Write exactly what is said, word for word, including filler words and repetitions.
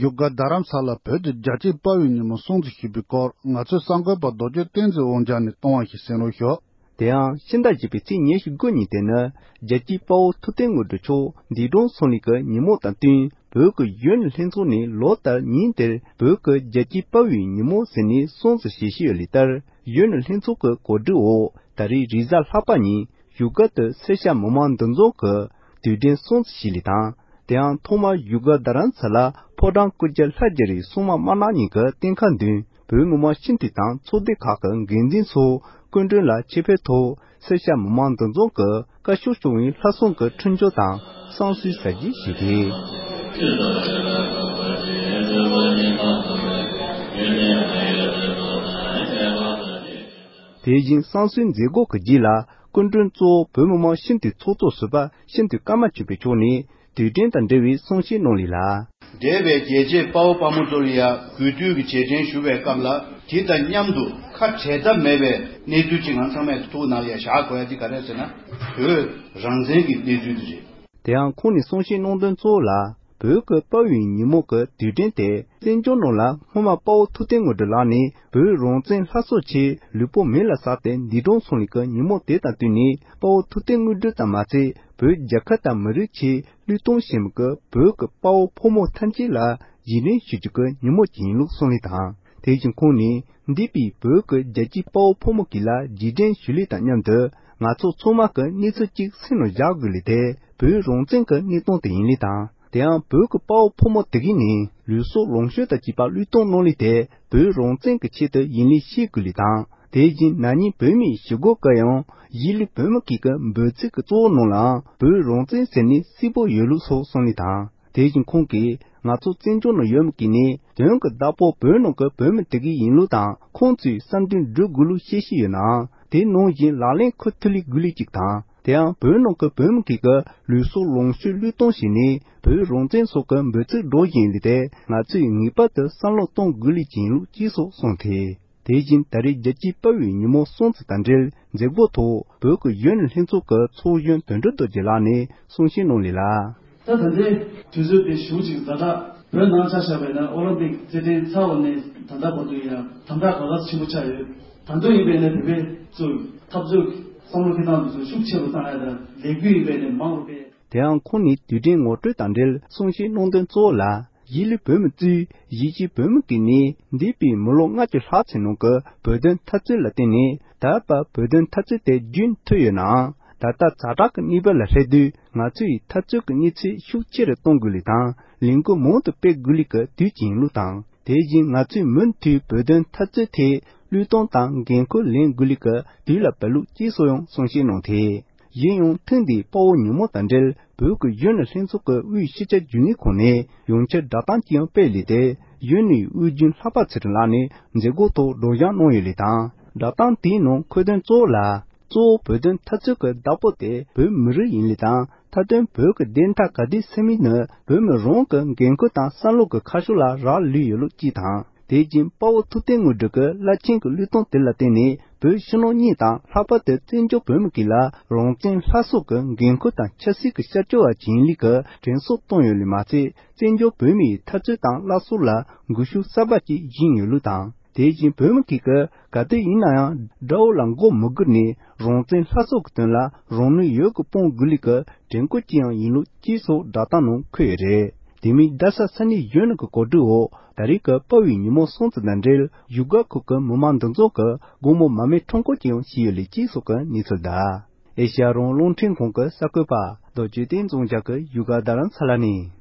བཞུགས་སྒར་རྡ་རམ་ས་ལར་བོད་དུ་རྒྱལ་གཅེས་དཔའ་བོའི་ཉིན་མོ་སྲུང་བརྩི་ཞུས་པའི་སྐོར། ང་ཚོའི་གསར་འགོད་པ་རྡོ་རྗེ་བསྟན་འཛིན་དབང་རྒྱལ་ནས་གཏོང་བ་ཞིག་གསན་རོགས་ཞུ། དེ་ཡང་ཕྱི་ཟླ་བཞི་པའི་ཚེས་ཉེར་དགུ་ཉིན་དེ་ནི་རྒྱལ་གཅེས་དཔའ་བོ་ཐུབ་བསྟན་དངོས་གྲུབ་མཆོག་འདས་གྲོངས་སོང་ནི་གི་ཉིན་མོ་དང་བསྟུན། བོད་ཀྱི་གཞོན་ནུ་ལྷན་ཚོགས་ནས་ལོ་ལྟར་ཉིན་དེར་བོད་ཀྱི་རྒྱལ་གཅེས་དཔའ་བོའི་ཉིན་མོ་ཟེར་ནས་སྲུང་བརྩི་བྱེད་བཞིན་ཡོད་ལུགས་ལྟར། གཞོན་ནུ་ལྷན་ཚོགས་ཀྱི་གོ་སྒྲིག་འོག་ད་རེས་རེས་གཟའ་ལྷག་པ་ཉིན་བཞུགས་སྒར་དུ་སེར་སྐྱ་མི་མང་འདུ་འཛོམས་ཀྱིས་དུས་དྲན་སྲུང་བརྩི་བྱས་ལུགས་དང་། དེ་ཡང་ཐོག་མར་བཞུགས་སྒར་རྡ་རམ་ས་ལ་ཕོ་བྲང་སྐུ་རྒྱལ་ལྷ་རྗེ་རིའི་སྲུང་མ་དམར་ནག་གཉིས་ཀྱི་རྟེན་ཁ་མདུན་བོད་མི་མང་སྤྱི་འཐུས་དང་ཚོགས་སྡེ་ཁག་གི་འགན་འཛིན་ཚོ་སྐུ་མགྲོན་ལ་ཆེད་ཕེབས་ཐོག་སེར་སྐྱ་མི་མང་འདུ་འཛོམས་ཀྱིས་བཀའ་ཤོག་སྐྱོང་བའི་ལྷ་སྲུང་གི་འཕྲིན་བཅོལ་དང་བསང་གསོལ་ཟ་རྒྱུ་བྱས་ཏེ། དེ་བཞིན་བསང་གསོལ་མཛད་སྒོ་གི་རྗེས་ལ་སྐུ་མགྲོན་གཙོ་བོ་བོད་མི་མང་སྤྱི་འཐུས་ཚོགས་གཙོ་ཟུར་པ་སྤྱི་འཐུས་ཀརྨ་ཆོས་འཕེལ་མཆོག་ནས་དུས་དྲན་དང་འབྲེལ་བའི་གསུང་བཤད་གནང་ལུགས་ལ། འདས་པའི་རྒྱལ་གཅེས་དཔའ་བོ་དཔའ་མོ་ཚོ་ལ་ཡང་གུས་འདུད་ཀྱི་རྗེས་དྲན་ཞུ་བའི་སྐབས་ལ། དེ་དང་མཉམ་དུ་ཁ་བྲལ་ཐབས་མེད་པའི་གནས་ཚུལ་ཅིག་ང་ཚང་མས་ཐུགས་ནང་ལ་ཡང་བཞག་དགོས་ཡ་དེ་ག་རེ་ཟེར་ན། བོད་རང་བཙན་གྱི་གནས་ཚུལ་དེ་རེད། དེ་ཡང་ཁོང་ནས་གསུང་བཤད་གནང་དོན་གཙོ་བོ་ལ། བོད་ཀྱི་དཔའ་བོའི་ཉིན་མོ་གི་དུས་དྲན་དེ་བཙན་བྱོལ་ནང་ལ་སྔོན་མ་དཔའ་བོ་ཐུབ་བསྟན་དངོས་གྲུབ་ལགས་ནས་བོད་རང་བཙན་སླར་གསོ་ཆེད་ལུས་པོ་མེ་ལ་ཟགས་ཏེ་འདས་གྲོངས་སོང་ལུགས་ཀྱི་ཉིན་མོ་དེ་དང་བསྟུན་ནས། དཔའ་བོ་ཐུབ་བསྟན་དངོས་གྲུབ་ཙམ་མ་ཚད་བོད་རྒྱལ་ཁབ་དང་མི་རིགས་ཆེད་བློས་གཏོང་བྱེད་མི་གི་བོད་ཀྱི་དཔའ་བོ་ཕོ་མོ་ཐམས་ཅད་ལ་རྗེས་དྲན་ཞུ་རྒྱུ་གི་ཉིན་མོ་ཅིག་ཡིན་ལུགས་གསུངས་ལུགས་དང་། དེ་བཞིན་ཁོང་ནས་འདས་པའི་བོད་ཀྱི་རྒྱལ་གཅེས་དཔའ་བོ་ཕོ་མོ་གཅིག་ལ་རྗེས་དྲན་ཞུ་ལུགས་དང་མཉམ་དུ། ང་ཚོ་ཚང་མ་གི་གནས་ཚུལ་གཅིག་སེམས་ནང་བཞག་དགོས་ལུགས་དེ་བོད་རང་བཙན་གྱི་གནས་སྟངས་དེ་ཡིན་ལུགས་དང་། དེ་ཡང་བོད་ཀྱི་དཔའ་བོ་ཕོ་མོ་དེ་གས་ནས་ལུས་སྲོག་ལོངས་སྤྱོད་དང་བཅས་པ་བློས་གཏོང་གནང་ལུགས་དེ་བོད་རང་བཙན་གྱི་ཆེད་དུ་ཡིན་ལུགས་ཤེས་དགོས་ལུགས་དང་། དེ་བཞིན་ན་ནིང་བོད་མིའི་ཞི་རྒོལ་སྐབས་ཡང་གཞིས་ལུས་བོད་མི་གཅིག་གི་འབོད་ཚིག་གི་གཙོ་བོ་ནང་ལའང་བོད་རང་བཙན་ཟེར་ནས་གསལ་པོ་ཡོད་ལུགས་སོགས་གསུངས་ལུགས་དང་། དེ་བཞིན་ཁོང་གིས་ང་ཚོ་བཙན་བྱོལ་ནང་ཡོད་མི་གཅིག་ནས་དོན་གྱི་བདག་པོ་བོད་ནང་གི་བོད་མི་དེ་གས་ཡིན་ལུགས་དང་། ཁོང་ཚོས་བསམ་འདུན་སྒྲུབ་དགོས་ལུགས་བཤད་བཞིན་ཡོད་ནའང་། དེ་ནང་བཞིན་ལག་ལེན་འཁུར་ཐུབ་ལུགས་དགོས་ལུགས་གཅིག་དང་། དེ་ཡང་བོད་ནང་གི་བོད་མི་གཅིག་གི་ལུས་སྲོག་ལོངས་སྤྱོད་བློས་གཏོང་བྱས་ནས་བོད་རང་བཙན་སོགས་ཀྱི་འབོད་ཚིག་སྒྲོག་བཞིན་ཡོད་ལུགས་དེ་ང་ཚོས་ངེས་པར་དུ་བསམ་བློ་གཏོང་དགོས་ལུགས་ཅིག་ཡིན་ལུགས་གཅིག་སོགས་གསུངས་ཏེ། དེ་བཞིན་ད་རེས་རྒྱལ་གཅེས་དཔའ་བོའི་ཉིན་མོ་སྲུང་བརྩི་དང་འབྲེལ་མཛད་སྒོ་ཐོག་བོད་ཀྱི་གཞོན་ནུ་ལྷན་ཚོགས་ཀྱི་ཚོགས་གཞོན་དོན་གྲུབ་རྡོ་རྗེ་ལགས་ནས་གསུང་བཤད་གནང་ལུགས་ལ། ད་ད་ལྟའི་དུས་ཚོད་དེ་ཞེ་པོ་ཅིག་ཛ་དྲག་བོད་ནང་ཆ་བཞག་པ་ཡིན་ན་ཨོ་ལིམ་པིག་རྩེད་འགྲན་ཚར་བ་ནས་ད་ལྟ་བར་དུ་ཡང་དམ་དྲག་ག་ག་ཆེན་པོ་ཆགས་ཡོད། ད་དུང་ཡིན་པ་ཡིན་ན་བོད་པའི་ཚོ་འཐབ་རྩོད་བསམ་བློ་འཁྱེར་སྟངས་དེ་ཚོ་ཤུགས་ཆེ་རུ་བཏང་ཡ་དང་ལས་འགུལ་ཡིན་པ་ཡིན་ན་མང་རུ་སྤེལ། དེ་ཡང་ཁོང་ནས་དུས་དྲན་ངོ་སྤྲོད་དང་འབྲེལ་གསུང་བཤད་གནང་དོན་གཙོ་བོ་ལ། གཞིས་ལུས་བོད་མི་གཙོས་གཞིས་བྱེས་བོད་མི་གཅིག་ནས་འདས་པའི་མི་ལོ་ལྔ་བཅུ་ལྷག་ཙམ་ནང་གི་བོད་དོན་འཐབ་རྩོད་ལ་བརྟེན་ནས་ད་བར་བོད་དོན་འཐབ་རྩོད་དེ་རྒྱུན་མཐུད་ཡོད་ནའང་། ད་ལྟ་ཛ་དྲག་གི་གནས་བབ་ལ་སླེབས་དུས་ང་ཚོས་འཐབ་རྩོད་ཀྱི་གནས་ཚད་ཤུགས་ཆེ་རུ་གཏོང་དགོས་ལུགས་དང་། ལས་འགུལ་མང་དུ་སྤེལ་དགོས་ལུགས་ཀྱི་དུས་ཅིག་ཡིན་ལུགས་དང་། དེ་བཞིན་ང་ཚོས་མུ་མཐུད་བོད་དོན་འཐབ་རྩོད་ཐད་བློས་གཏོང་དང་འགན་ཁུར་ལེན་དགོས་ལུགས་ཀྱི་དུས་ལ་བབ་ལུགས་གཅིག་སོགས་ཡང་གསུང་བཤད་གནང་སྟེ། གཞན་ཡང་ཐེངས་འདིའི་དཔའ་བོ་ཉིན་མོ་དང་འབྲེལ་བོད་ཀྱི་གཞོན་ནུ་ལྷན་ཚོགས་ཀྱི་དབུས་སྤྱི་ཁྱབ་རྒྱུན་ལས་ཁང་ནས་ཡོངས་ཁྱབ་བསྒྲགས་གཏམ་ཅིག་ཡང་སྤེལ་ལུགས་དེ་གཞོན་ནུའི་དབུས་རྒྱུན་ལྷག་པ་ཚེ་རིང་ལགས་ནས་མཛད་སྒོ་ཐོག་སྒྲོག་སྦྱང་གནང་ཡོད་ལུགས་དང་། བསྒྲགས་གཏམ་དེའི་ནང་འཁོད་དོན་གཙོ་བོ་ལ། གཙོ་བོ་བོད་དོན་འཐབ་རྩོད་ཀྱི་བདག་པོ་དེ་བོད་མི་རིགས་ཡིན་ལུགས་དང་། མཐའ་དོན་བོད་ཀྱི་བདེན་མཐའ་ག་དུས་སེལ་མིན་ནི་བོད་མི་རང་གི་འགན་ཁུར་དང་བསམ་བློ་གི་ཁ་ཕྱོགས་ལ་རག་ལུས་ཡོད་ལུགས་གཅིག་དང་། དེ་བཞིན་དཔའ་བོ་ཐུབ་བསྟན་དངོས་གྲུབ་ཀྱི་རླབས་ཆེན་གྱི་བློས་གཏོང་དེ་ལ་བརྟེན་ནས་བོད་ཕྱི་ནང་གཉིས་དང་ལྷག་པར་དུ་བཙན་བྱོལ་བོད་མི་གཅིག་ལ་རང་བཙན་སླར་གསོ་གི་འགན་ཁུར་དང་ཆབ་སྲིད་ཀྱི་ཤར་བསྐྱོད་པ་ཅིག་ཡིན་ལུགས་ཀྱི་དྲན་གསོ་བཏང་ཡོད་ལུགས་མ་ཚད། བཙན་བྱོལ་བོད་མིའི་འཐབ་རྩོད་དང་སླར་གསོ་ལ་སྒུལ་ཤུགས་གསར་པ་ཅིག་སྦྱིན་ཡོད་ལུགས་དང་། དེ་བཞིན་བོད་མི་གཅིག་གིས་ག་དུས་ཡིན་ན་ཡང་དགྲ་བོ་ལ་མགོ་མི་སྒུར་ནས་རང་བཙན་སླར་གསོ་གི་དོན་ལ་རང་ནུས་ཡོད་དགུ་སྤུངས་དགོས་ལུགས་ཀྱི་དྲན་སྐུལ་ཅིག་ཡང་ཡིན་ལུགས་གཅིག་སོགས་བསྒྲགས་གཏམ་ནང་འཁོད་ཡོད་རེད། དེ་མིན་རྡ་ས་ས་གནས་གཞོན་ནུ་གི་གོ་སྒྲིག་འོག་ད་རེས་ཀྱི་དཔའ་བོའི་ཉིན་མོ་སྲུང་བརྩི་དང་འབྲེལ་བཞུགས་སྒར་ཁུལ་གྱི་མི་མང་འདུ་འཛོམས་ཀྱི་དགོང་མོ་མར་མེ་ཁྲོམ་སྐོར་ཅིག་ཡང་བྱས་ཡོད་ལུགས་གཅིག་སོགས་ཀྱི་གནས་ཚུལ་དང་། ཨེ་ཤ་ཡ་རང་དབང་རླུང་འཕྲིན་ཁང་གི་གསར་འགོད་པ་རྡོ་རྗེ་བསྟན་འཛིན་རྒྱ་གི་བཞུགས་སྒར་རྡ་རམ་ས་ལ་ནས།